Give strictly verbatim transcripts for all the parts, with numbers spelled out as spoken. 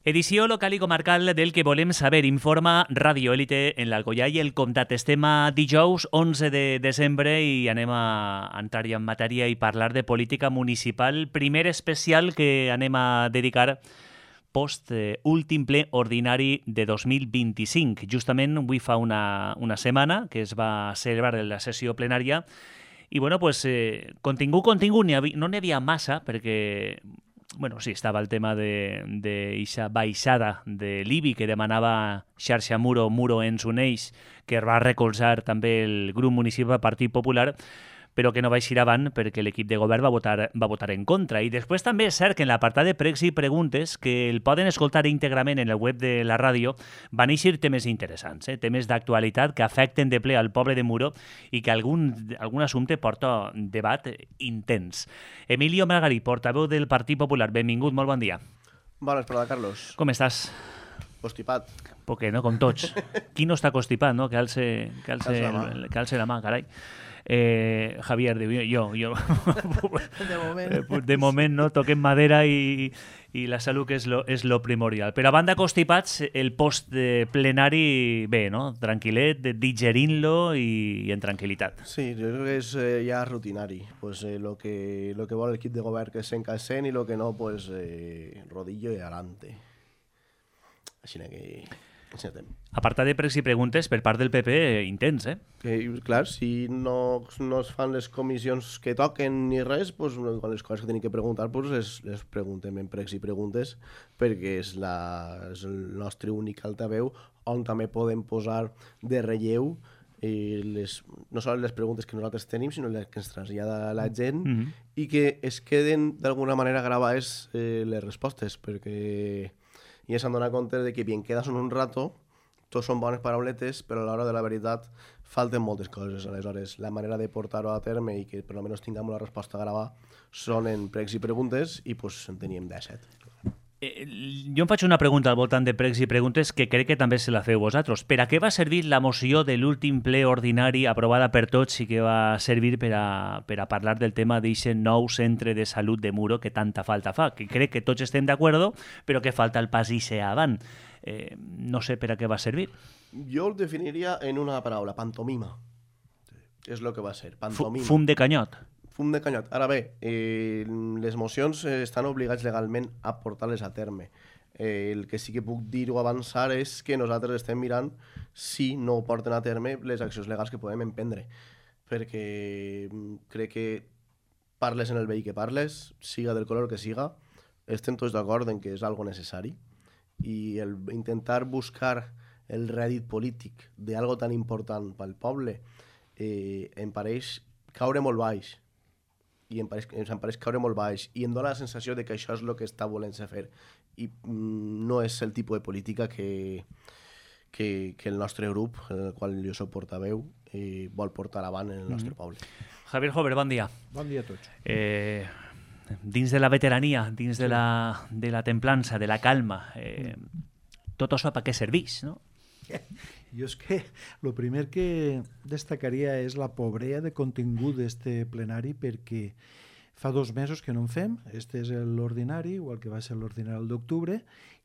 Edició local i comarcal del que volem saber. Informa Radio Élite en l'Alcoià i el Comtat. Estem a dijous onze de desembre i anem a entrar ja en matèria i parlar de política municipal. Primer especial que anem a dedicar post eh, últim ple ordinari de dos mil vint-i-cinc. Justament avui fa una, una setmana que es va celebrar la sessió plenària i, bueno, pues, eh, contingut, contingut, n'hi havia, no n'hi havia massa perquè... Bueno, sí, estava el tema de, de ixa baixada de l'I B I que demanava xarxa Muro, Muro ens uneix, que va recolzar també el grup municipal Partit Popular, però que no va eixir avant perquè l'equip de govern va votar, va votar en contra. I després també és cert que en l'apartat de pregs i preguntes, que el poden escoltar íntegrament en el web de la ràdio, van eixir temes interessants, eh? temes d'actualitat que afecten de ple al poble de Muro i que algun, algun assumpte porta debat intens. Emilio Margarí, portaveu del Partit Popular, benvingut, molt bon dia. Bona vesprada, Carlos. Com estàs? Constipat. Perquè, no? Com tots. Qui no està constipat, no? Que alce, que alce, Alce la mà. que alce la mà, carai. Eh, Javier, diu, jo, jo. De moment. De moment, no? Toquem madera i, i la salut que és lo, és lo primordial. Però a banda constipats, el post de plenari, bé, no? Tranquil·let, digerint-lo i, i en tranquil·litat. Sí, jo crec que és eh, ja rutinari. Pues, eh, lo, que, lo que vol l'equip de govern que s'encasent i lo que no, pues, eh, rodillo y adelante. Així que... Així anem. Apartat de pregs i preguntes per part del P P, eh, intens, eh? Que, clar, si no, no es fan les comissions que toquen ni res, pues, les coses que tenim que preguntar pues, les, les preguntem en pregs i preguntes perquè és, la, és el nostre únic altaveu on també podem posar de relleu eh, les, no sols les preguntes que nosaltres tenim, sinó les que ens trasllada la gent Mm-hmm. i que es queden d'alguna manera gravades eh, les respostes, perquè ja s'han donat compte de que bien queda són un rato, tots són bones parauletes, però a l'hora de la veritat falten moltes coses. Aleshores, la manera de portar-ho a terme i que per almenys tinguem la resposta gravada són en pregs i preguntes i pues, en teníem disset. Eh, jo em faig una pregunta al voltant de pregs i preguntes que crec que també se la feu vosaltres. Per a què va servir la moció de l'últim ple ordinari aprovada per tots i que va servir per a, per a parlar del tema d'aquest nou centre de salut de Muro que tanta falta fa? Que crec que tots estem d'acord, però que falta el pas ixe avant. Eh, no sé per a què va servir. Jo el definiria en una paraula, pantomima. És el que va ser, pantomima. Fum de canyot. Fum de canyot. Ara bé, eh, les mocions eh, estan obligats legalment a portar-les a terme. Eh, el que sí que puc dir o avançar és que nosaltres estem mirant si no porten a terme les accions legals que podem emprendre. Perquè mm, crec que parles en el veí que parles, siga del color que siga, estem tots d'acord en que és algo necessari i el intentar buscar el rèdit polític d'algo tan important pel poble eh, em pareix caure molt baix. I em pareix, em pareix caure molt baix i em dóna la sensació de que això és el que està volent-se fer i mm, no és el tipus de política que, que, que el nostre grup, en el qual jo soc portaveu, eh, vol portar avant en el nostre Mm-hmm. poble. Javier Jover, bon dia. Bon dia a tots. Eh, dins de la veterania, dins de la, de la templança, de la calma, eh, tot això per què serveix, no? Jo és que el primer que destacaria és la pobrea de contingut d'este plenari perquè fa dos mesos que no en fem, este és l'ordinari, igual que va ser l'ordinari d'octubre,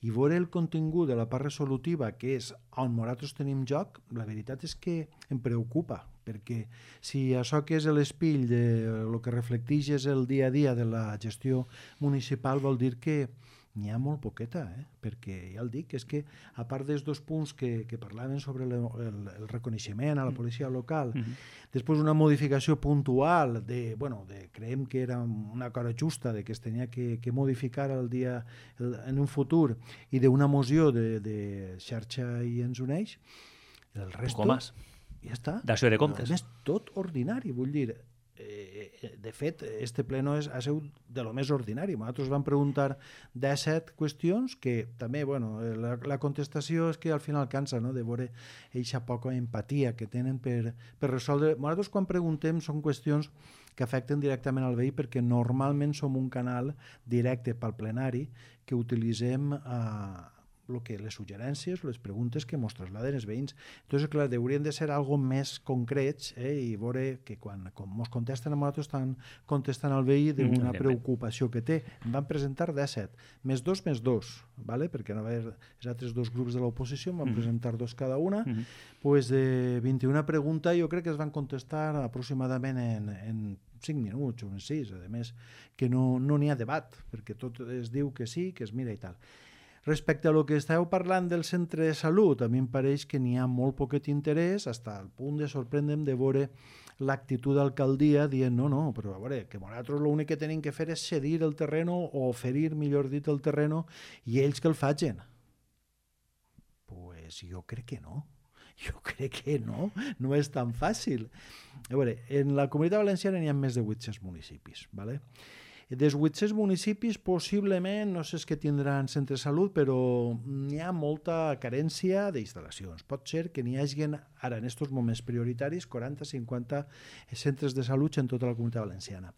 i veure el contingut de la part resolutiva, que és on nosaltres tenim joc, la veritat és que em preocupa, perquè si això que és l'espill de el que reflecteix és el dia a dia de la gestió municipal vol dir que n'hi ha molt poqueta, eh? Perquè ja el dic, és que a part dels dos punts que, que parlaven sobre el, el, el reconeixement a la policia local, Mm-hmm. després una modificació puntual de, bueno, de, creiem que era una cosa justa de que es tenia que, que modificar el dia, el, en un futur i d'una moció de, de xarxa i ens uneix, el resto Poco más. ja està. D'acció de comptes. A més, tot ordinari, vull dir, eh, de fet, este pleno és, ha sigut de lo més ordinari. Nosaltres vam preguntar disset qüestions que també, bueno, la, la contestació és que al final cansa, no?, de veure eixa poca empatia que tenen per, per resoldre. Nosaltres quan preguntem són qüestions que afecten directament al veí perquè normalment som un canal directe pel plenari que utilitzem a lo que les suggerències, les preguntes que mos trasladen els veïns. Entonces, clar, haurien de ser algo més concrets eh, i veure que quan, quan mos contesten a nosaltres estan contestant al veí d'una mm, preocupació que té. Em van presentar disset, més dos, més dos, ¿vale? Perquè no va haver els altres dos grups de l'oposició, em van mm. presentar dos cada una, mm. pues de vint-i-una preguntes jo crec que es van contestar aproximadament en, en cinc minuts o en sis, a més, que no n'hi no ha debat, perquè tot es diu que sí, que es mira i tal. Respecte a lo que estàveu parlant del centre de salut, a mi em pareix que n'hi ha molt poquet interès, fins al punt de sorprendre'm de veure l'actitud d'alcaldia dient no, no, però a veure, que nosaltres l'únic que tenim que fer és cedir el terreno o oferir, millor dit, el terreno i ells que el facin. Pues jo crec que no. Jo crec que no, no és tan fàcil. A veure, en la Comunitat Valenciana n'hi ha més de vuit-cents municipis, ¿vale? Dels vuit-cents municipis, possiblement, no sé si que tindran centre de salut, però n'hi ha molta carència d'instal·lacions. Pot ser que n'hi hagi ara, en aquests moments prioritaris, quaranta a cinquanta centres de salut en tota la Comunitat Valenciana.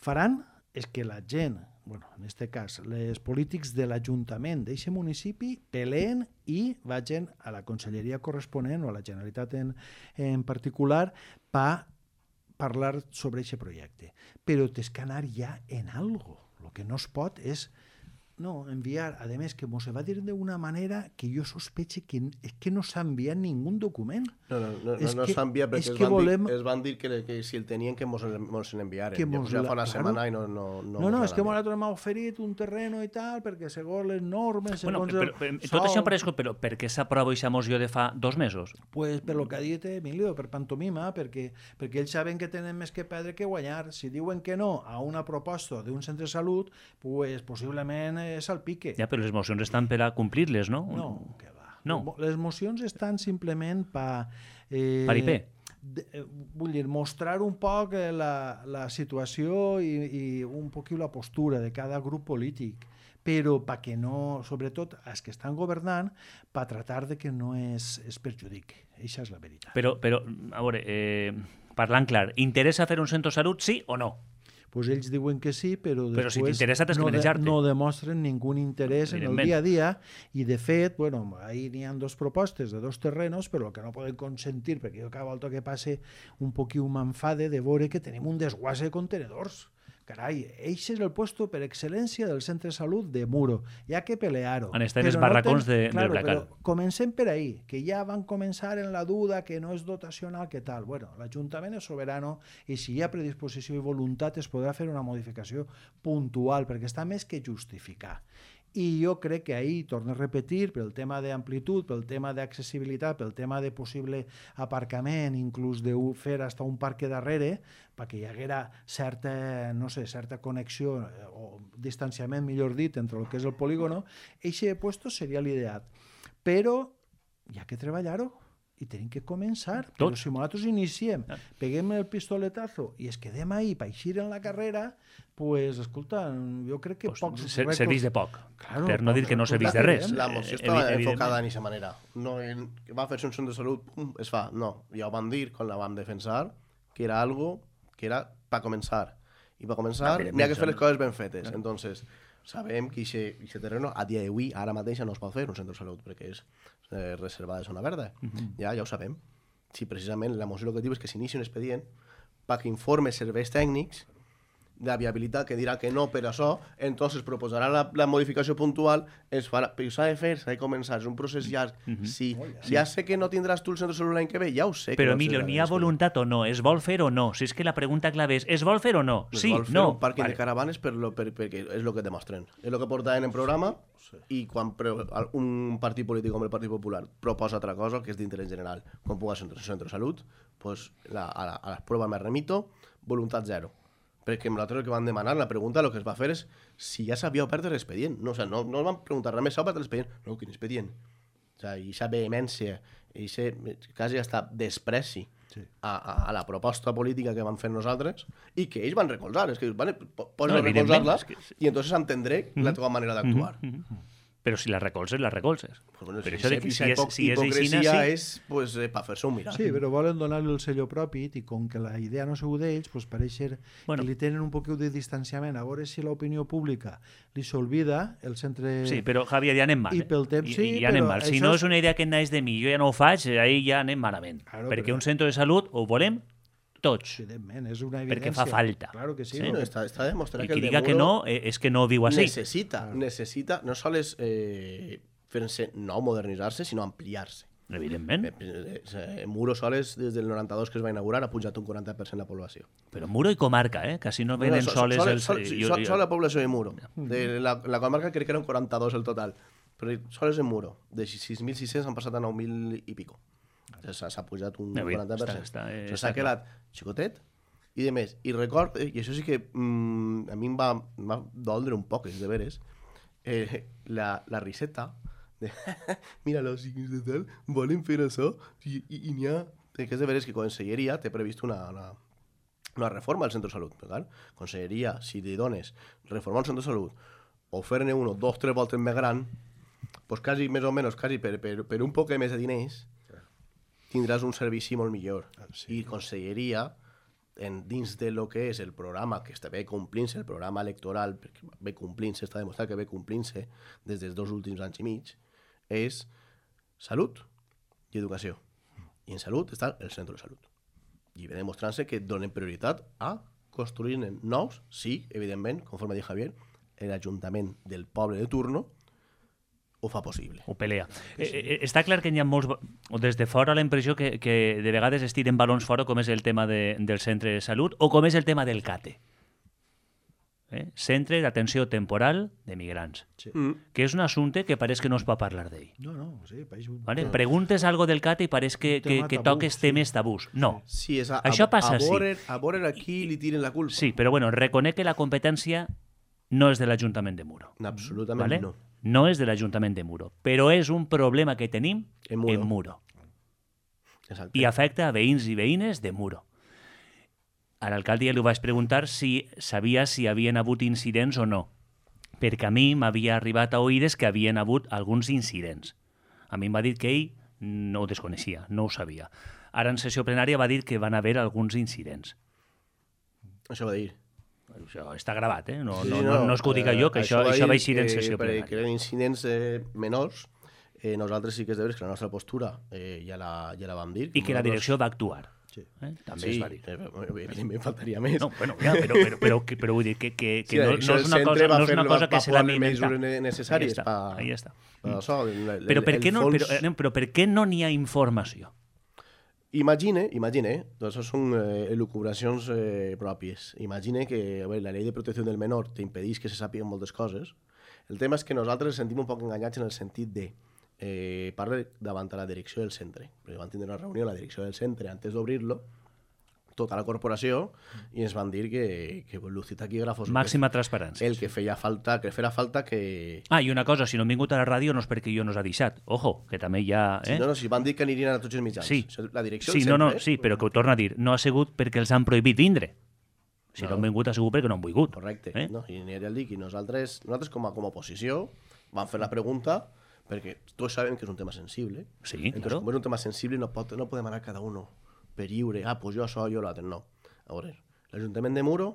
Faran és que la gent, bueno, en aquest cas, els polítics de l'Ajuntament d'aquest municipi peleen i vagin a la conselleria corresponent o a la Generalitat en, en particular per parlar sobre aquest projecte. Però tens que anar ja en algo. El que no es pot és no, enviar, a més que mos va dir d'una manera que jo sospeche que és que no s'ha enviat ningú document. No, no, no, no, no s'ha enviat perquè es van, volem... dir, es van dir que, que si el tenien que mos, mos l'enviaren. Ja, ja fa una claro. setmana i no... No, no, no, no és que nosaltres m'ha oferit un terreno i tal, perquè segons les normes... Bueno, segons però, però, el... tot això em pareix, però per què s'aprova aquesta moció de fa dos mesos? Pues per lo que ha dit Emilio, per pantomima, perquè, perquè ells saben que tenen més que perdre que guanyar. Si diuen que no a una proposta d'un centre de salut, pues possiblement és al pique. Ja, però les mocions estan per a complir-les, no? No, que va. No. Les mocions estan simplement per... Eh, Paripé. De, eh, vull dir, mostrar un poc eh, la, la situació i, i un poc la postura de cada grup polític, però perquè no, sobretot els que estan governant, per tratar de que no es, es perjudique. Això és la veritat. Però, però a veure, eh, parlant clar, interessa fer un centre de salut, sí o no? Pues ells diuen que sí, però, però després si t'interessa tens que no, manejar-te. No demostren ningú interès en el dia a dia i de fet, bueno, ahí n'hi ha dos propostes de dos terrenos, però el que no poden consentir, perquè jo cada volta que passe un poquiu m'enfade de veure que tenim un desguàs de contenedors. Carai, eix és el puesto per excel·lència del centre de salut de Muro. Hi ha que pelear-ho. Han estat els barracons no ten... de, claro, del Bracal. Comencem per ahí, que ja van començar en la duda que no és dotacional, que tal. Bueno, l'Ajuntament és soberano i si hi ha predisposició i voluntat es podrà fer una modificació puntual, perquè està més que justificar. I jo crec que ahir, torno a repetir, pel tema d'amplitud, pel tema d'accessibilitat, pel tema de possible aparcament, inclús de fer hasta un parc darrere, perquè hi haguera certa, no sé, certa connexió o distanciament, millor dit, entre el que és el polígono, eixe puesto seria l'ideal. Però hi ha que treballar-ho i tenim que començar. Tots. Però si nosaltres iniciem, peguem el pistoletazo i es quedem ahí per eixir en la carrera, pues, escolta, jo crec que pues, pocs... Ser, serveix de poc, claro, per no dir que no serveix de res. La moció estava enfocada en aquesta manera. No, va fer-se un centre de salut, pum, es fa. No, ja ho vam dir, quan la vam defensar, que era algo que era per començar. I per començar n'hi ha que fer les coses ben fetes. Claro. Entonces, sabem que aquest terreno, a dia d'avui, ara mateix no es pot fer un centre de salut, perquè és eh, reservada de zona verda. Uh -huh. Ja, ja ho sabem. Si precisament la moció el que diu és que s'inici un expedient perquè informe serveis tècnics de viabilitat que dirà que no per això, entonces proposarà la, la modificació puntual, es farà, però s'ha de fer, s'ha de començar, és un procés llarg. Uh -huh. Sí, oh, ja. ja sé que no tindràs tu el centre de salut l'any que ve, ja ho sé. Però, no Emilio, n'hi ha voluntat o no? Es vol fer o no? Si és que la pregunta clave és, es vol fer o no? Sí, es vol fer no. un pàrquing vale. de caravanes per lo, per, perquè és el que demostren. És el que portaven en programa sí. I quan pre, un partit polític com el Partit Popular proposa altra cosa, que és d'interès general, com pugui ser un centre de salut, pues la, a, la, a les proves me remito, voluntat zero. Perquè nosaltres el que vam demanar, la pregunta, el que es va fer és si ja s'havia obert l'expedient. No, o sea, no, no el vam preguntar res més, s'ha obert l'expedient. No, quin expedient? O sea, i aquesta vehemència, i aquest quasi hasta despreci sí. a, a, a la proposta política que van fer nosaltres i que ells van recolzar. És que van, pots no, recolzar-la que... i entonces entendré mm -hmm. la teva manera d'actuar. Mm -hmm. Però si la recolzes, la recolzes. Pues bueno, Però si, això de, si, si, és, si és hipocresia aixina, sí. és pues, eh, per fer-se un mirar. Sí, però volen donar-li el sello propi i com que la idea no ha sigut d'ells, pues pareix ser Bueno. que li tenen un poquet de distanciament. A veure si l'opinió pública li s'olvida el centre... Sí, però Javier, ja anem mal. I Eh? pel temps, I, sí, i ja anem però mal. Si això no és- és una idea que naix de mi, jo ja no ho faig, ahir ja anem malament. Claro, perquè però- un centre de salut ho volem tots. Evidentment, és una Perquè evidència. fa falta. Claro que sí. Sí, Sí, no? no, està, està demostrat I que qui el de diga que Muro no eh, és que no viu així. necessita, necessita no sols eh, fer-se no modernitzar-se, sinó ampliar-se. Evidentment. Eh, eh, Muro soles, des del noranta-dos que es va inaugurar, ha pujat un quaranta per cent la població. Però Muro i comarca, eh? Quasi no venen so- soles sol, els... sol, sí, sol, sol la població de Muro. De la, la comarca crec que eren quaranta-dos el total. Però sols en Muro. De sis mil sis-cents han passat a nou mil i pico. S'ha s'ha pujat un Ja, bé, quaranta per cent. està- està, eh, Això està s'ha quedat xicotet i de més. I record, eh, i això sí que mm, a mi em va, em va doldre un poc, és de veres, eh, la, la riseta de mira, los signos de tal volen fer això i, i, i n'hi ha... Que és de veres que Conselleria té previst una, una, una reforma al centre de salut. Per tant, Conselleria, si li dones reformar un centre de salut o fer-ne uno, dos, tres voltes més gran, pues quasi, més o menys, quasi per, per, per un poc més de diners, tindràs un servici molt millor. Sí. I Conselleria, en, dins de lo que és el programa que està bé complint-se, el programa electoral, perquè ve complint-se, està demostrat que ve complint-se des dels dos últims anys i mig, és salut i educació. I en salut està el centre de salut. I ve demostrant-se que donen prioritat a construir nous, sí, evidentment, conforme diu Javier, l'Ajuntament del poble de turno ho fa possible. Ho pelea. Eh, eh, està clar que hi ha molts... O des de fora la impressió que, que de vegades es tiren balons fora, com és el tema de, del centre de salut o com és el tema del CATE. Eh? Centre d'Atenció Temporal de Migrants. Sí. Mm. Que és un assumpte que pareix que no es pot parlar d'ell. No, no, sí, pareix un... Vale? Preguntes algo del CATE i pareix que, que, tema que tabú, toques sí. temes tabús. No. Sí, és a, Això a, passa, a sí. veure, a veure a qui li tiren la culpa. Sí, però bueno, reconec que la competència no és de l'Ajuntament de Muro. Absolutament ¿vale? no. No és de l'Ajuntament de Muro, però és un problema que tenim En Muro. en Muro. Exacte. I afecta a veïns i veïnes de Muro. A l'alcalde ja li vaig preguntar si sabia si havien hagut incidents o no, perquè a mi m'havia arribat a oïdes que havien hagut alguns incidents. A mi em va dir que ell no ho desconeixia, no ho sabia. Ara en sessió plenària va dir que van haver alguns incidents. Això va dir. Això està gravat, eh? No, Sí, no, sí, no, no és que ho diga jo, que això, va això dir va eixir en que sessió per- plenària. Que eren incidents eh, menors. Eh, nosaltres sí que és de veres que la nostra postura eh, ja, la, ja la vam dir. I que la Nosaltres- direcció va actuar. Sí. Eh? També Sí, es va dir. eh, evidentment faltaria més. No, bueno, ja, però, però, però, que, però vull dir que, que, que Sí, la no, direcció no és del una centre cosa, va no és fer- una va- cosa que va se la posar les inventa. mesures necessàries Ahí està, pa- ahí està. Per això, el, el, Però per el què no, fons... però, eh, però per què no n'hi ha informació? Imagine, imagine, doncs això són eh, elucubracions eh, pròpies. Imagine que a veure, la llei de protecció del menor t'impedeix que se sàpiguen moltes coses. El tema és que nosaltres ens sentim un poc enganyats en el sentit de eh, parla davant a la direcció del centre. Perquè van tindre una reunió a la direcció del centre antes d'obrir-lo, tota la corporació, i ens van dir que, que luz i taquígrafos... Màxima transparència. El que feia falta, que farà falta que... Ah, i una cosa, si no han vingut a la ràdio no és perquè jo no us ha deixat. Ojo, que també hi ha... Sí, Eh? no, no, si van dir que anirien a tots els mitjans. Sí. La direcció Sí, del no, no, centre... sí, però que ho torna a dir. No ha sigut perquè els han prohibit vindre. Si no, No. han vingut ha sigut perquè no han volgut. Correcte. Eh? No? I n'hi ha el dic, i nosaltres, nosaltres com a, com a oposició vam fer la pregunta perquè tots sabem que és un tema sensible. Sí, Entonces, claro. com és un tema sensible, no, pot, no podem anar cada uno per lliure. Ah, pues jo això, jo l'altre. No. A veure, l'Ajuntament de Muro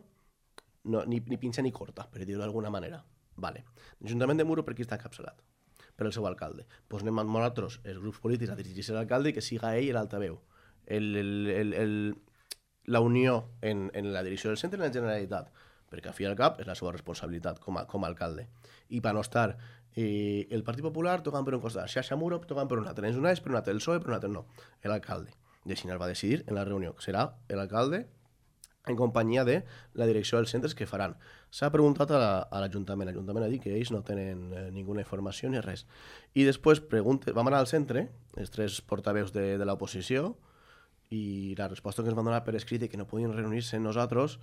no, ni, ni pinxa ni corta, per dir-ho d'alguna manera. Vale. L'Ajuntament de Muro per qui està encapçalat? Per el seu alcalde. Pues anem amb nosaltres, els grups polítics, a dirigir-se a l'alcalde i que siga ell l'altaveu. El, el, el, el, la unió en, en la direcció del centre i en la Generalitat, perquè al fi i al cap és la seva responsabilitat com a, com a alcalde. I per no estar eh, el Partit Popular tocant per un costat, Xaxa Muro tocant per un altre, ens uneix per un altre, el P S O E per un altre, no, l'alcalde. I així el va decidir en la reunió, que serà l'alcalde en companyia de la direcció dels centres que faran. S'ha preguntat a la- a l'Ajuntament. L'Ajuntament ha dit que ells no tenen eh, ninguna informació ni res. I després pregunte, vam anar al centre, els tres portaveus de, de l'oposició, i la resposta que ens van donar per escrit i que no podien reunir-se amb nosaltres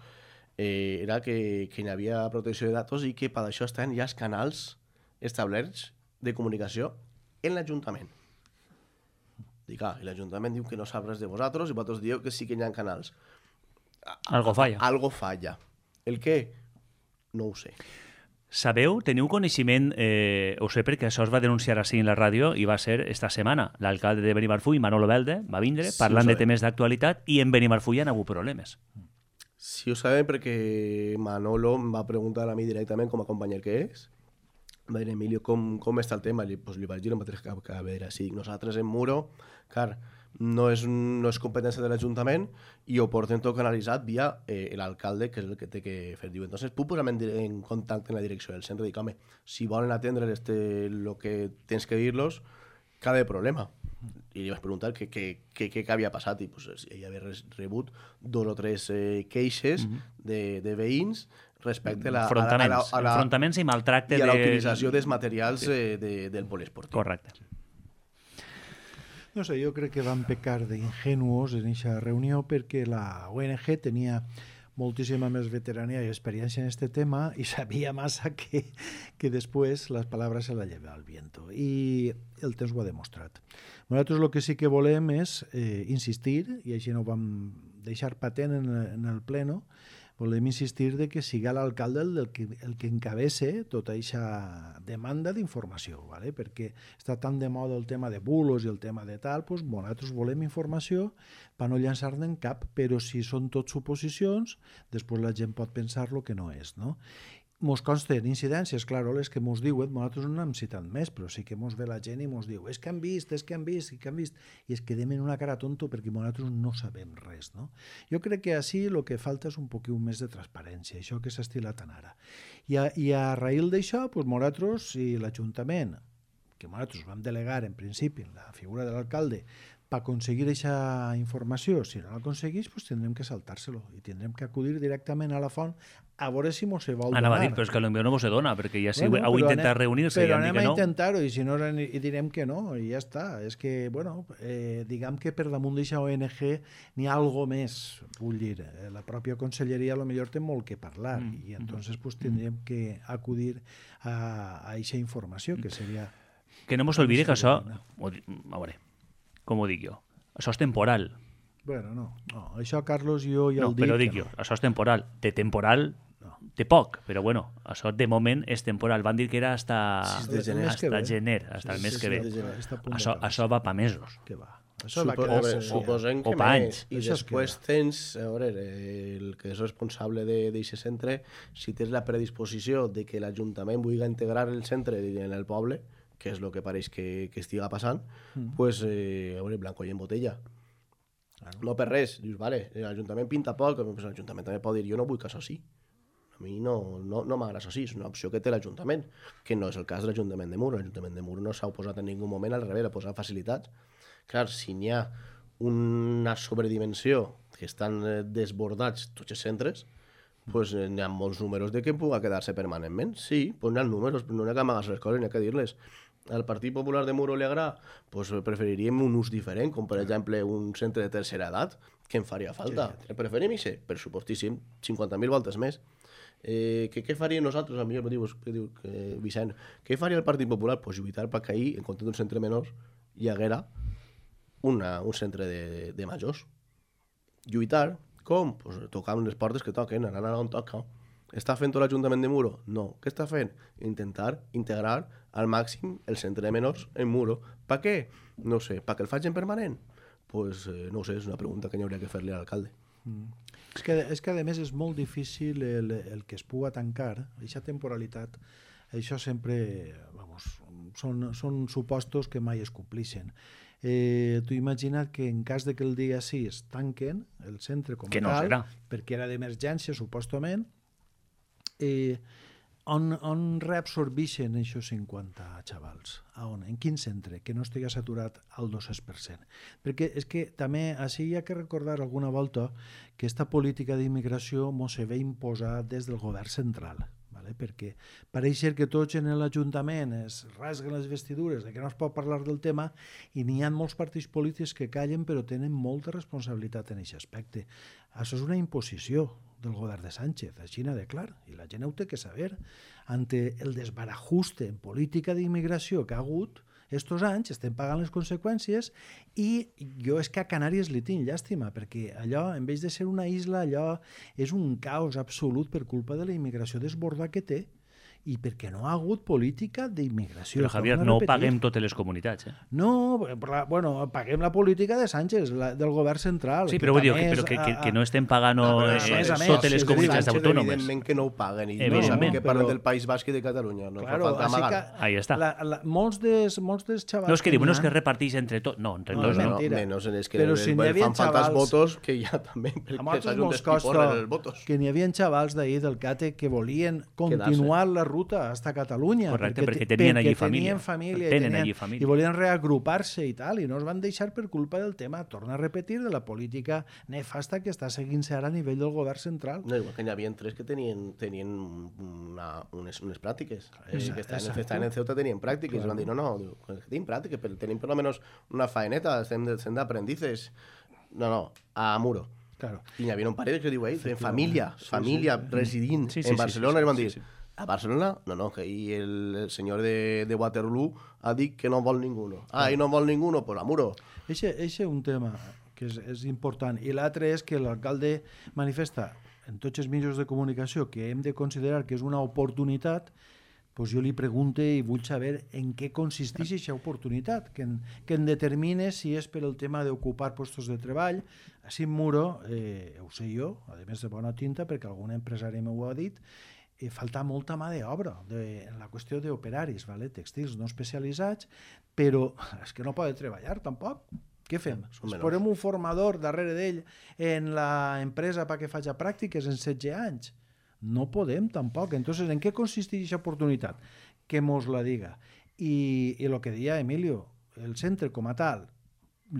eh, era que, que hi havia protecció de datos i que per això estan ja els canals establerts de comunicació en l'Ajuntament. Dic, ah, i l'Ajuntament diu que no sap res de vosaltres i vosaltres dieu que sí que hi ha canals. Algo falla. Algo falla. El què? No ho sé. Sabeu, teniu coneixement, eh, ho sé perquè això es va denunciar així en la ràdio i va ser esta setmana. L'alcalde de Benimarfull, Manolo Belde, va vindre Sí, parlant ho de sabem. temes d'actualitat i en Benimarfull hi ha hagut problemes. Sí ho sabem perquè Manolo em va preguntar a mi directament com a companyer que és. Va dir, Emilio, com, com està el tema? Li, pues, li vaig dir el mateix que, que a veure, si nosaltres en Muro, clar, no és, no és competència de l'Ajuntament i ho portem tot canalitzat via eh, l'alcalde, que és el que té que fer. Diu, entonces, puc posar-me en, dir- en contacte en la direcció del centre i dic, home, si volen atendre este, lo que tens que dir-los, cada problema. I li vaig preguntar què, què, què, què havia passat i pues, ell havia res- rebut dos o tres eh, queixes Mhm. de, de veïns respecte a la, a la, a Enfrontaments, la, a la, enfrontaments i maltracte i a la de... utilització dels materials eh, de, del poliesportiu. Correcte. No sé, jo crec que van pecar d'ingenuos en aquesta reunió perquè la O N G tenia moltíssima més veterania i experiència en este tema i sabia massa que, que després les paraules se la lleva al viento. I el temps ho ha demostrat. Nosaltres el que sí que volem és eh, insistir, i així no ho vam deixar patent en, en el pleno, volem insistir de que siga l'alcalde el, el, que, el que encabece tota aquesta demanda d'informació, ¿vale? Perquè està tan de moda el tema de bulos i el tema de tal, doncs nosaltres volem informació per no llançar-ne en cap, però si són tot suposicions, després la gent pot pensar lo que no és, no? Mos consten incidències, clar, les que mos diuen, nosaltres no n'hem citat més, però sí que mos ve la gent i mos diu és que han vist, és que han vist, és que han vist, i es quedem en una cara tonto perquè nosaltres no sabem res, no? Jo crec que així el que falta és un poquet més de transparència, això que s'ha estilat tan ara. I a, i a raïl d'això, doncs nosaltres i l'Ajuntament, que nosaltres vam delegar en principi en la figura de l'alcalde, per aconseguir aquesta informació, si no l'aconseguís, doncs tindrem que saltar-se-lo i tindrem que acudir directament a la font a veure si mos se vol donar. Anava a dir, però és que potser no mos se dona, perquè ja si Bueno, heu però intentat anem- reunir-se i però han dit anem que a no... intentar-ho i si no i direm que no i ja està. És que, bueno, eh, diguem que per damunt d'aquesta O N G n'hi ha algo més, vull dir, eh, la pròpia conselleria a lo millor té molt que parlar Mm. i entonces pues, tindríem que acudir a aquesta informació que seria... Que no mos olvide que això... ho di- A veure, com ho dic jo? Això és temporal. Bueno, no, no, això Carlos jo ja No, el dic. però dic que jo, no. això és temporal. De temporal No. té poc, però bueno, això de moment és temporal. Van dir que era hasta, sis de gener. hasta ve. gener, hasta el Sí, mes sí, que sí, ve. està- està a punt Això, d'acabar. això va pa mesos. Que va. Això va Supo, quedar... veure, sí. suposem O que pa més. anys. I Això es després queda. tens, a veure, el que és responsable d'aquest centre, si tens la predisposició de que l'Ajuntament vulgui integrar el centre en el poble, que és el que pareix que, que estiga passant, Mm. pues, eh, a veure, blanco i en botella. Claro. No per res. Dius, vale, l'Ajuntament pinta poc, pues l'Ajuntament també pot dir, jo no vull que això sí. A mi no, no, no m'agrada això sí, és una opció que té l'Ajuntament, que no és el cas de l'Ajuntament de Mur. L'Ajuntament de Mur no s'ha oposat en ningú moment, al revés, ha posat facilitats. Clar, si n'hi ha una sobredimensió que estan eh, desbordats tots els centres, pues, eh, n'hi ha molts números de que pugui quedar-se permanentment. Sí, pues n'hi ha números, però no n'hi ha que amagar les coses, n'hi ha que dir-les. Al Partit Popular de Muro li agrada, pues preferiríem un ús diferent, com per exemple un centre de tercera edat, que em faria falta. Sí, sí. Preferim això, pressupostíssim, cinquanta mil voltes més. Eh, que, què faríem nosaltres? A mi em diu, que diu que, Vicent, què faria el Partit Popular? Pues lluitar perquè ahir, en compte d'un centre menor, hi haguera una, un centre de, de majors. Lluitar, com? Pues tocant les portes que toquen, anant on toca. Està fent tot l'Ajuntament de Muro? No. Què està fent? Intentar integrar al màxim el centre de menors en Muro. Per què? No sé. Per què el facin permanent? Pues eh, no ho sé, és una pregunta que hi hauria que fer-li a l'alcalde. Mm. És, que, és que a més és molt difícil el, el que es pugui tancar, aquesta temporalitat, això sempre, vamos, són, són supostos que mai es complixen. Eh, tu imagina't que en cas de que el dia sis tanquen el centre com a Que no tal, serà. perquè era d'emergència, supostament, eh, on, on reabsorbeixen aquests cinquanta xavals? A on? En quin centre? Que no estigui saturat al dos per cent. Perquè és que també així hi ha que recordar alguna volta que aquesta política d'immigració mos se ve imposar des del govern central. Vale? Perquè pareix ser que tots en l'Ajuntament es rasguen les vestidures de que no es pot parlar del tema i n'hi ha molts partits polítics que callen però tenen molta responsabilitat en aquest aspecte. Això és una imposició del govern de Sánchez, així n'ha de clar, i la gent ho té que saber. Ante el desbarajuste en política d'immigració que ha hagut estos anys, estem pagant les conseqüències i jo és que a Canàries li tinc llàstima, perquè allò, en vez de ser una isla, allò és un caos absolut per culpa de la immigració desborda que té. i perquè no ha hagut política d'immigració. Però, Javier, no paguem totes les comunitats. Eh? No, bueno, paguem la política de Sánchez, la, del govern central. Sí, però vull dir que, però que, que, que no estem pagant no, eh, més, totes les comunitats autònomes. Evidentment que no ho paguen. I evidentment que parlen del País Basc i de Catalunya. No claro, fa falta amagar. Ahí està. La, la, molts, dels, molts dels xavals... No, és que diuen que es reparteix entre tots. No, entre no, tots no. Mentira. Menos en els que però si fan xavals, falta els votos, que ja també... A nosaltres mos costa que n'hi havia xavals d'ahir del CATE que volien continuar la ruta hasta Catalunya. Correcte, perquè, perquè tenien allí família. Tenien família, tenen tenien, allí família. I volien reagrupar-se i tal, i no es van deixar per culpa del tema, torna a repetir, de la política nefasta que està seguint-se ara a nivell del govern central. No, igual que n'hi havia tres que tenien, tenien una, unes, unes pràctiques. Eh, que estaven, estaven en Ceuta tenien pràctiques. Claro. I van dir, no, no, diu, tenim pràctiques, però tenim per almenys una faeneta, estem, estem d'aprendices. No, no, a Muro. Claro. I n'hi havia un parell que diu, eh, en família, sí, família sí, sí. residint sí, sí, en Barcelona, sí, sí, i van dir, sí, sí. A Barcelona? No, no, que ahí el, el senyor de, de Waterloo ha dit que no vol ninguno. Ah, i no vol ninguno, pues a Muro. Eixe és un tema que és, és important. I l'altre és que l'alcalde manifesta en tots els mitjans de comunicació que hem de considerar que és una oportunitat, pues jo li pregunte i vull saber en què consisteix aquesta oportunitat, que en, que en determine si és per el tema d'ocupar puestos de treball. Així en Muro, eh, ho sé jo, a més de bona tinta, perquè algun empresari m'ho ha dit, eh, falta molta mà d'obra de, en la qüestió d'operaris, vale? Textils no especialitzats, però és que no poden treballar tampoc. Què fem? Es posem un formador darrere d'ell en l'empresa perquè faci pràctiques en setze anys? No podem tampoc. Entonces, ¿en què consisteix aquesta oportunitat? Que mos la diga. I, i el que deia Emilio, el centre com a tal,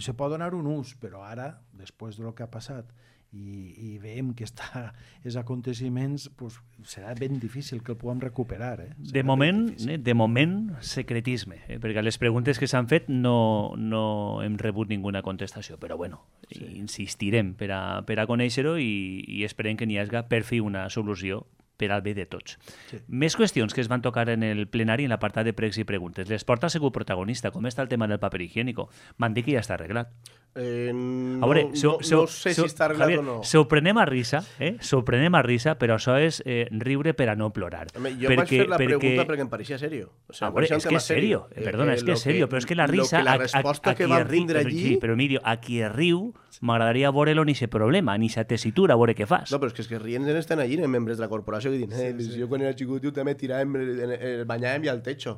se pot donar un ús, però ara, després del que ha passat, i, i veiem que està els aconteciments, pues, serà ben difícil que el puguem recuperar. Eh? De moment, eh, de moment, secretisme, eh? perquè a les preguntes que s'han fet no, no hem rebut ninguna contestació, però bueno, sí. insistirem per a, per a conèixer-ho i, i esperem que n'hi hagi per fi una solució per al bé de tots. Sí. Més qüestions que es van tocar en el plenari en l'apartat de pregs i preguntes. L'esport ha sigut protagonista. Com està el tema del paper higiénico? M'han dit que ja està arreglat. Eh, no, a veure, so, no, so, no sé so, si està arreglat Javier, o no. S'ho prenem a risa, eh? S'ho prenem a risa, però això és eh, riure per a no plorar. Home, jo perquè, vaig fer la perquè... pregunta perquè em pareixia serio. O sea, a veure, és que és serio. Eh, Perdona, és que és serio, però és que la risa... Que la resposta a, a, a que va rindre allí... Sí, però Emilio, a qui riu m'agradaria veure-lo ni ese problema, ni esa tessitura, a veure què fas. No, però és que, és que rient estan allí, en membres de la corporació, que diuen, eh, sí, sí. jo quan era xicot jo també tiràvem, el banyàvem i al techo.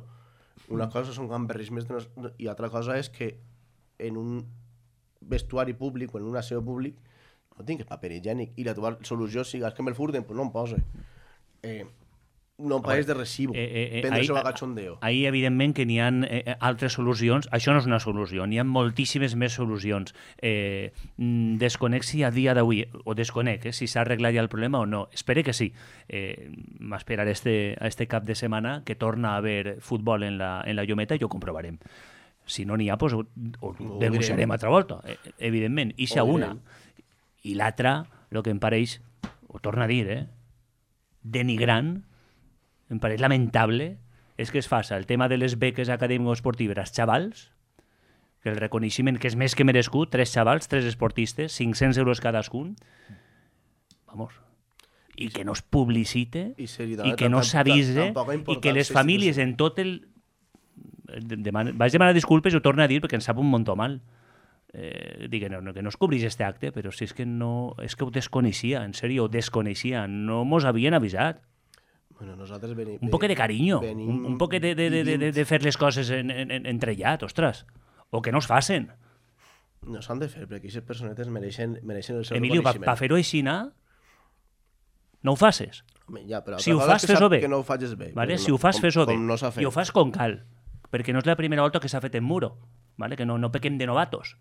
Una cosa són gamberrismes i altra cosa és que en un vestuari públic o en un aseo públic no tingues paper higiènic i la teva solució siga que me'l furten, pues no em posa. Eh, no pagues de recibo, eh, eh, eh, prendre-s'ho a cachondeo. Ahir, evidentment, que n'hi ha eh, altres solucions. Això no és una solució, n'hi ha moltíssimes més solucions. Eh, desconec si a dia d'avui, o desconec eh, si s'ha arreglat ja el problema o no. Espero que sí. Eh, M'esperaré este, a este cap de setmana que torna a haver futbol en la, en la Llometa i ho comprovarem. Si no n'hi ha, pues, ho, ho denunciarem altra volta, eh, evidentment. I si una. I l'altra, el que em pareix, ho torno a dir, eh, denigrant, em pareix lamentable, és que es faça el tema de les beques acadèmico-esportives als xavals, que el reconeixement que és més que merescut, tres xavals, tres esportistes, cinc-cents euros cadascun, vamos, i que no es publicite, i, i que no s'avise, i que les famílies en tot el... Deman... Vaig demanar disculpes i ho torno a dir perquè em sap un muntó mal. Eh, dic, no, no, que no es cobrís este acte, però si és que no... És que ho desconeixia, en sèrio, ho desconeixia. No mos havien avisat. Bueno, nosaltres venim... Un poquet de carinyo, venim, un, un poquet de, de, de, de, de fer les coses en, en, en, entrellat, ostres. O que no es facen. No s'han de fer, perquè aquestes personetes mereixen, mereixen el seu Emilio, reconeixement. Emilio, per fer-ho així, no ho faces. Home, ja, però si ho fas, fes-ho bé. Que no ho facis bé. Vale? Si no, ho fas, fes-ho bé. No I ho fas com cal. Perquè no és la primera volta que s'ha fet en Muro. Vale? Que no, no pequem de novatos.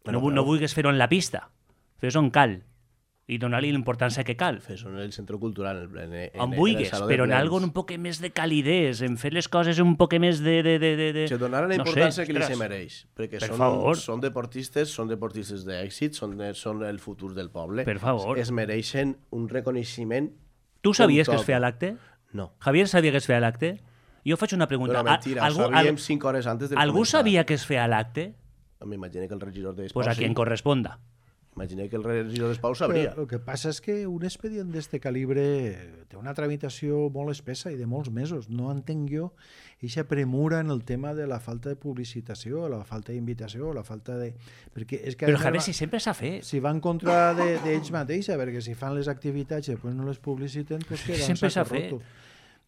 Bueno, no, no vulguis fer-ho en la pista. Fes-ho on cal. I donar-li l'importància que cal. Fes-ho en el centre cultural. En, en, on vulguis, però en algo un poc més de calidez, en fer les coses un poc més de... de, de, de, de... Se donar la importància no sé, que li se mereix. Perquè per són, favor. són deportistes, són deportistes d'èxit, són, són el futur del poble. Per favor. Es mereixen un reconeixement. Tu sabies que es feia l'acte? No. Javier sabia que es feia l'acte? Jo faig una pregunta. Però mentira, algú, ho sabíem cinc hores antes de algú començar. Sabia que es feia l'acte? M'imagino que el regidor d'Esports... Pues a quien corresponda. Imagina que el regidor d'Espau sabria. El que passa és que un expedient d'este calibre té una tramitació molt espessa i de molts mesos. No entenc jo eixa premura en el tema de la falta de publicitació, la falta d'invitació, la falta de... Perquè és que Però, Javier, si sempre s'ha fet. Si va en contra d'ells de, mateixa, perquè si fan les activitats i després no les publiciten, pues queda sempre un sac s'ha fet. roto.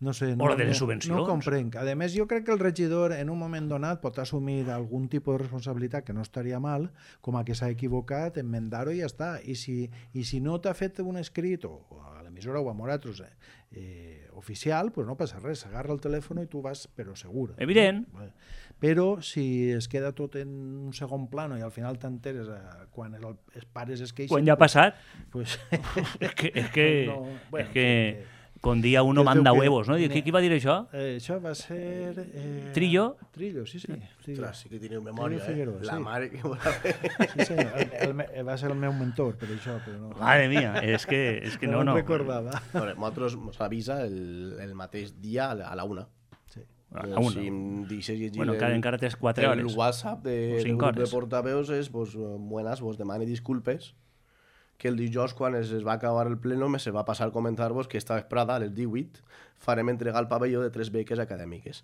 No sé, no, O la de les no, subvencions. no comprenc. A més, jo crec que el regidor en un moment donat pot assumir algun tipus de responsabilitat que no estaria mal, com a que s'ha equivocat, enmendar-ho i ja està. I si, i si no t'ha fet un escrit, o a l'emissora o a nosaltres, eh, eh, oficial, pues no passa res. Agarra el telèfon i tu vas, però segur. Evident. Però si es queda tot en un segon plano i al final t'enteres eh, quan el, els pares es queixen... Quan ja ha passat, pues, és que... És que, no, bueno, és que eh, con dia uno es manda veu que- huevos, no? I Qui, qui va dir això? Eh, això va ser... Eh, Trillo? Trillo, sí, sí. Trillo. Ostres, sí que teniu memòria, Trillo Figueroa, eh? La sí. mare que vol haver. Sí, senyor. El, el, me- va ser el meu mentor, per això, però no. Madre mía, és que, és que no, no no. me'n recordava. Bueno, nosaltres ens avisa el, el mateix dia a la una. Sí. A la una. Si em deixes llegir Bueno, encara, el, encara tens quatre el hores. WhatsApp de, O del cinc grup de hores. portaveus és, pues, buenas, vos demane disculpes, que el dijous, quan es, es va acabar el pleno, me se va passar a comentar-vos que esta vesprada, a les divuit, farem entregar el pavelló de tres beques acadèmiques.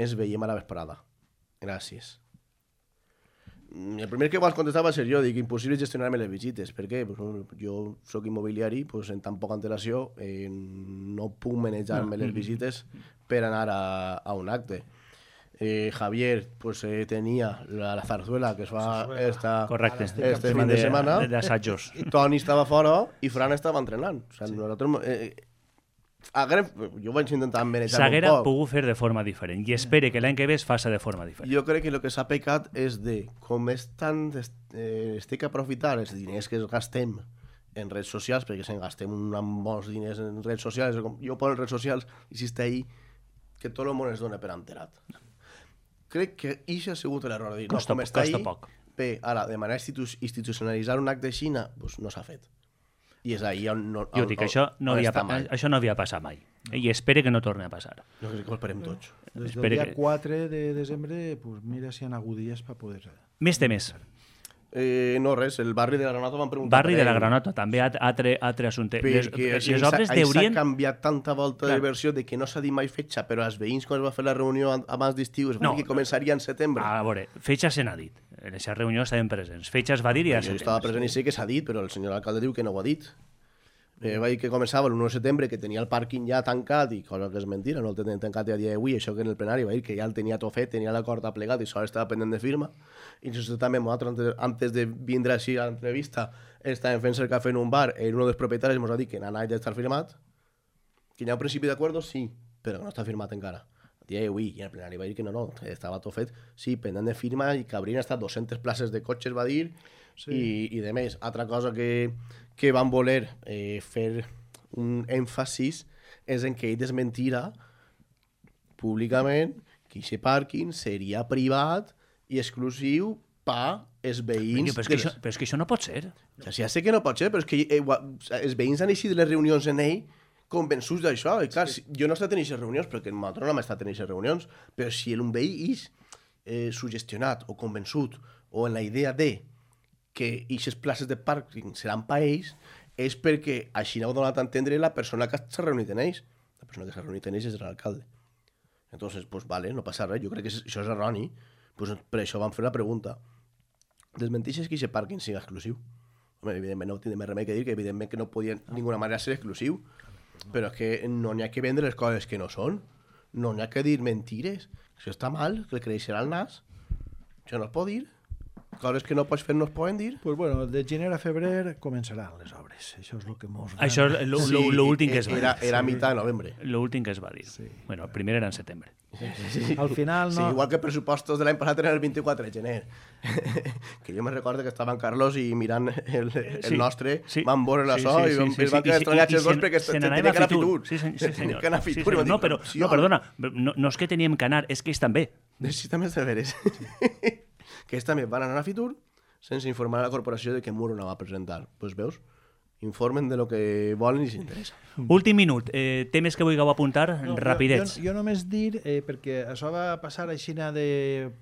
Ens veiem a la vesprada. Gràcies. Mm, El primer que vas contestar va ser jo, dic, impossible gestionar-me les visites. Per què? Pues, bueno, jo sóc immobiliari, pues, en tan poca antelació eh, no puc manejar-me les visites per anar a, a un acte. Eh, Javier pues, eh, tenia la, la zarzuela que es va esta, Correcte. este fin de setmana. D'assajos. Toni estava fora i Fran estava entrenant. O sigui, nosaltres, eh, haguem, jo vaig intentar manejar un S'haguera poc. pogut fer de forma diferent i espere que l'any que ve es faça de forma diferent. Jo crec que el que s'ha pecat és de, com és tan, eh, estic a aprofitar els diners que es gastem en redes socials, perquè se'n gastem un molts diners en redes socials, com jo poso en redes socials i si està ahí, que tot el món es dona per enterat. Crec que això ha sigut l'error de dir, Costa no, com poc, està costa ahí, poc. bé, ara, de manera institu institucionalitzar un acte de Xina, pues no s'ha fet. I és ahí on... No, Jo dic, això no, on havia, està pa- mal. això no havia passat mai. I espere que no torni a passar. Jo crec que ho esperem tots. Des del Espere dia que- quatre de desembre, pues mira si hi ha hagut dies per poder... Més temes. Eh, no, res, el barri de la Granota m'han preguntat Barri per de la ell. Granota, també at- altre, altre assumpte. Les, Perquè les les obres deurien... S'ha canviat tanta volta Clar. de versió de que no s'ha dit mai fetge, però els veïns, quan es va fer la reunió an- abans d'estiu, es va No. dir que començaria en setembre. A veure, fetges se n'ha dit. En aquesta reunió estaven presents. Fetges va dir i ja jo se estava present i sé que s'ha dit, però el senyor alcalde diu que no ho ha dit. Eh, va dir que començava l'u de setembre, que tenia el pàrquing ja tancat, i cosa que és mentira, no el tenen tancat a dia d'avui, això que en el plenari va dir que ja el tenia tot fet, tenia l'acord aplegat i sol estava pendent de firma. I nosaltres també, nosaltres, antes, antes de vindre així a l'entrevista, estàvem fent el cafè en un bar, i un dels propietaris ens ha dit que n'ha anat d'estar firmat, que hi ha un principi d'acord, sí, però que no està firmat encara. A dia d'avui, i en el plenari va dir que no, no, que estava tot fet, sí, pendent de firma, i que haurien estat dues-centes places de cotxes, va dir, sí. i, i de més. Altra cosa que, que van voler eh, fer un èmfasis és en que ell desmentira públicament que aquest pàrquing seria privat i exclusiu per els veïns. Però és, que de això, les- però és que això no pot ser. Ja, sí, ja sé que no pot ser, però és que eh, gua- els veïns han eixit de les reunions en ell convençuts d'això. I clar, sí. si, jo no he estat en aquestes reunions, perquè nosaltres no hem estat en aquestes reunions, però si un veí és eh, sugestionat o convençut o en la idea de que aquestes places de pàrquing seran per ells, és perquè així no ho ha donat a entendre la persona que s'ha reunit en ells. La persona que s'ha reunit en ells és l'alcalde. Entonces, pues vale, no passa res. Jo crec que això és erroni. Pues per això vam fer la pregunta. Desmenteixes que aquest pàrquing sigui exclusiu? Home, evidentment no tindrem més remei que dir que evidentment que no podia de ninguna manera ser exclusiu. Però és que no n'hi ha que vendre les coses que no són. No n'hi ha que dir mentires. Això està mal, que le creixerà el nas. Això no es pot dir. Coses que no pots fer no es poden dir. Pues bueno, de gener a febrer començaran les obres. Això és el que mos... Això és l'últim que es va dir. Era, era a mitjà de novembre. L'últim que es va dir. Sí. Bueno, el primer era en setembre. Sí. Al final Sí, no... igual que pressupostos de l'any passat eren el vint-i-quatre de gener. Que jo me recordo que estava en Carlos i mirant el, el Sí, nostre, sí. van veure la Sí, so sí, i sí, van, sí, es van sí. quedar I- estranyats i- els dos i perquè se tenia n'anava que anar a Fitur. Fitur. Sí, sí, sí, senyor. Que anar a Sí, Fitur. i senyor. vam No, dir, però, sí, no, home. perdona, no, no és que teníem que anar, és que ells també. Sí, també és de veres. Que ells també van anar a Fitur sense informar a la corporació de que Muro no va a presentar. Doncs pues veus? Informen de lo que volen i s'interessa. Últim minut. Eh, temes que vulgueu apuntar? No, Rapidets. Jo, jo, jo només dir, eh, perquè això va passar així de,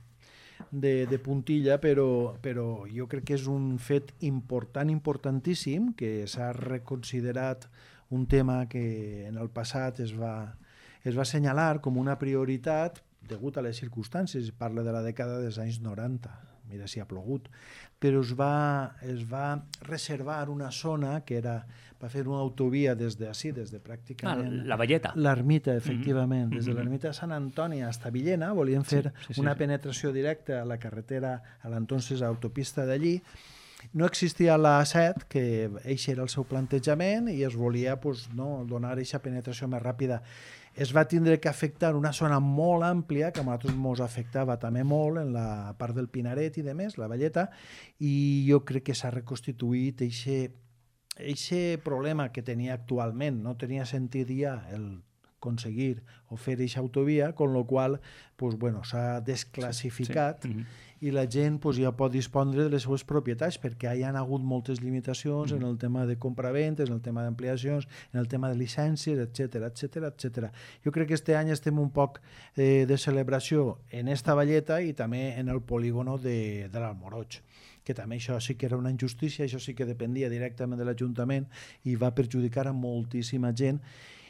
de, de puntilla, però, però jo crec que és un fet important, importantíssim, que s'ha reconsiderat un tema que en el passat es va, es va assenyalar com una prioritat degut a les circumstàncies. Parla de la dècada dels anys noranta, mira si ha plogut, però es va, es va reservar una zona que era, va fer una autovia des de ací, des de pràcticament... Ah, la Valleta. L'ermita, efectivament. Mm-hmm. Des de l'ermita de Sant Antoni fins a Villena volien fer sí, sí, sí, una sí. penetració directa a la carretera, a l'entonces autopista d'allí. No existia la A set, que eixe era el seu plantejament, i es volia pues, no, donar aquesta penetració més ràpida. Es va tindre que afectar una zona molt àmplia, que a nosaltres ens afectava també molt, en la part del Pinaret i de més, la Valleta, i jo crec que s'ha reconstituït aquest problema que tenia actualment. No tenia sentit ja el aconseguir o fer aquesta autovia, con lo qual pues, bueno, s'ha desclassificat sí, sí. Mm-hmm. i la gent pues, ja pot dispondre de les seues propietats, perquè hi ha hagut moltes limitacions mm-hmm. en el tema de compraventes, en el tema d'ampliacions, en el tema de llicències, etcètera, etcètera, etcètera. Jo crec que este any estem un poc eh, de celebració en esta Valleta i també en el polígono de, de l'Almoroig, que també això sí que era una injustícia, això sí que dependia directament de l'Ajuntament i va perjudicar a moltíssima gent.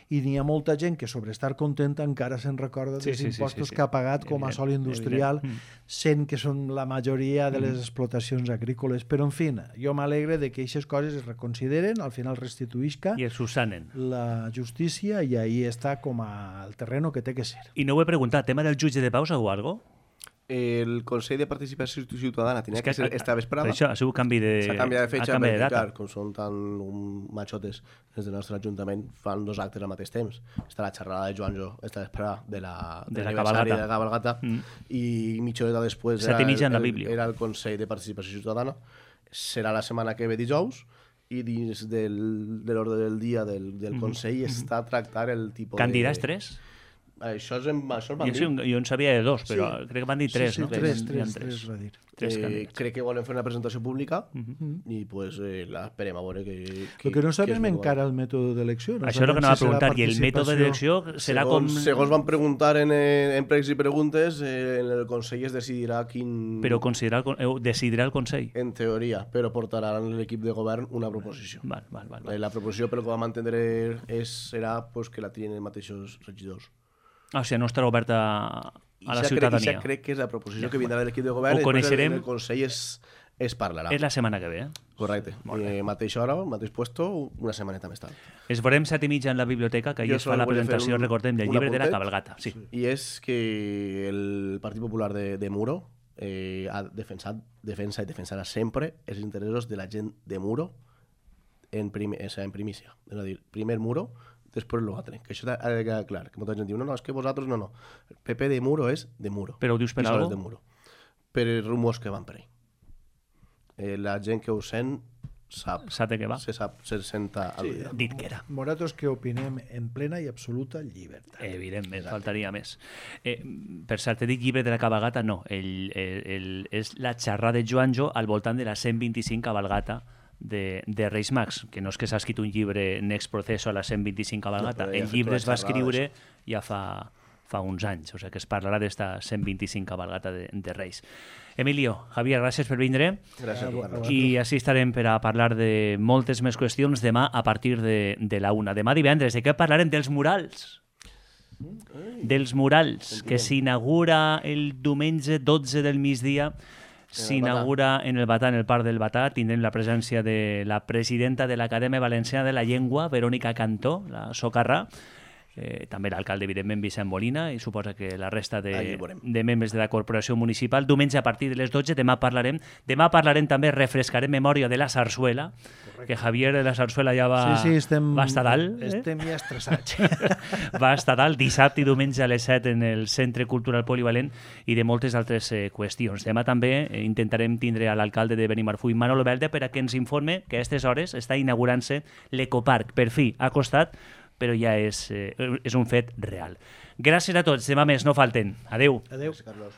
I n'hi ha molta gent que sobre estar contenta encara se'n recorda dels sí, sí, impostos sí, sí, sí. que ha pagat com a sòl industrial, sent que són la majoria de les explotacions agrícoles. Però, en fi, jo m'alegre de que aquestes coses es reconsideren, al final restituïsca i es susanen la justícia i ahí està com al terreno que té que ser. I no ho he preguntat, tema del jutge de pau o algo? El Consell de Participació Ciutadana tenia que, que ser esta vesprada. Això ha sigut canvi de... S'ha canviat de fetge canvi perquè, de data. clar, com són tan machotes des del nostre Ajuntament, fan dos actes al mateix temps. Està la xerrada de Joanjo esta vesprada de la, de, de la cabalgata, cabalgata, de la cabalgata mm. i mitja horeta després era el, el, era el Consell de Participació Ciutadana. Serà la setmana que ve dijous i dins del, de l'ordre del dia del, del Consell mm -hmm. està a tractar el tipus Candidates de... tres? Això, és en, això es van jo, dir. Jo en sabia de dos, però sí. crec que van dir tres, sí, sí, no? Tres, que tres, tres, tres, va dir. tres eh, crec que volen fer una presentació pública uh -huh. i pues, eh, la esperem a veure que... que el que no sabem que encara el mètode d'elecció. No Això és el que anava a preguntar, i el mètode d'elecció serà segons, com... Segons van preguntar en, en pregs i preguntes, eh, en el Consell es decidirà quin... Però considerar el, decidirà el Consell? En teoria, però portaran l'equip de govern una proposició. Val, val, val, val. Eh, la proposició, pel que vam entendre, és, serà pues, que la trien els mateixos regidors. Ah, o sigui, no estarà oberta a la I ciutadania. I ja crec que és la proposició que vindrà de l'equip de govern. Ho coneixerem. El Consell es, es parlarà. És la setmana que ve, eh? Correcte. Eh, mateixa hora, mateix puesto, una setmaneta més tard. Es veurem set i mitja en la biblioteca, que allà es fa la presentació, un, recordem, del llibre de la cabalgata. Sí. I és que el Partit Popular de, de Muro eh, ha defensat, defensa i defensarà sempre els interessos de la gent de Muro en, prim, o sea, en primícia. És a dir, primer Muro, després l'altre. Que això ha de quedar clar. Que molta gent diu, no, no, és que vosaltres no, no. El P P de Muro és de Muro. Però ho dius per alguna cosa? De Muro. Per els rumors que van per ahí. Eh, la gent que ho sent sap. Sap de què va. Se sap, se senta sí, dit que era. Nosaltres que opinem en plena i absoluta llibertat. Evidentment, exacte. Faltaria més. Eh, per cert, te dic llibre de la cabalgata, no. El, el, el, és la xerrada de Joanjo al voltant de la cent vint-i-cinc cabalgata de, de Reis Mags, que no és que s'ha escrit un llibre next proceso a la cent vint-i-cinc cabalgata, no, el llibre es va escriure ja fa, fa uns anys, o sigui que es parlarà d'esta cent vint-i-cinc cabalgata de, de Reis. Emilio, Javier, gràcies per vindre. Gràcies. I així estarem per a parlar de moltes més qüestions demà a partir de, de la una. Demà divendres, de què parlarem? Dels murals. Dels murals, que s'inaugura el diumenge dotze del migdia. S'inaugura en el Batà, en el Parc del Batà. Tindrem la presència de la presidenta de l'Acadèmia Valenciana de la Llengua, Verònica Cantó, la socarrà, eh, també l'alcalde, evidentment, Vicent Molina, i suposa que la resta de, de membres de la corporació municipal. Diumenge a partir de les dotze, demà parlarem. Demà parlarem també, refrescarem memòria de la sarsuela, correcte, que Javier de la sarsuela ja va, sí, sí, estem, va estar dalt. Eh? Estem ja estressats. Va estar dalt dissabte i diumenge a les set en el Centre Cultural Polivalent i de moltes altres eh, qüestions. Demà també eh, intentarem tindre a l'alcalde de Benimarfull, Manolo Belda, per a que ens informe que a aquestes hores està inaugurant-se l'Ecoparc. Per fi, ha costat, però ja és, eh, és un fet real. Gràcies a tots. Demà més, no falten. Adéu. Adéu. Gràcies, Carlos.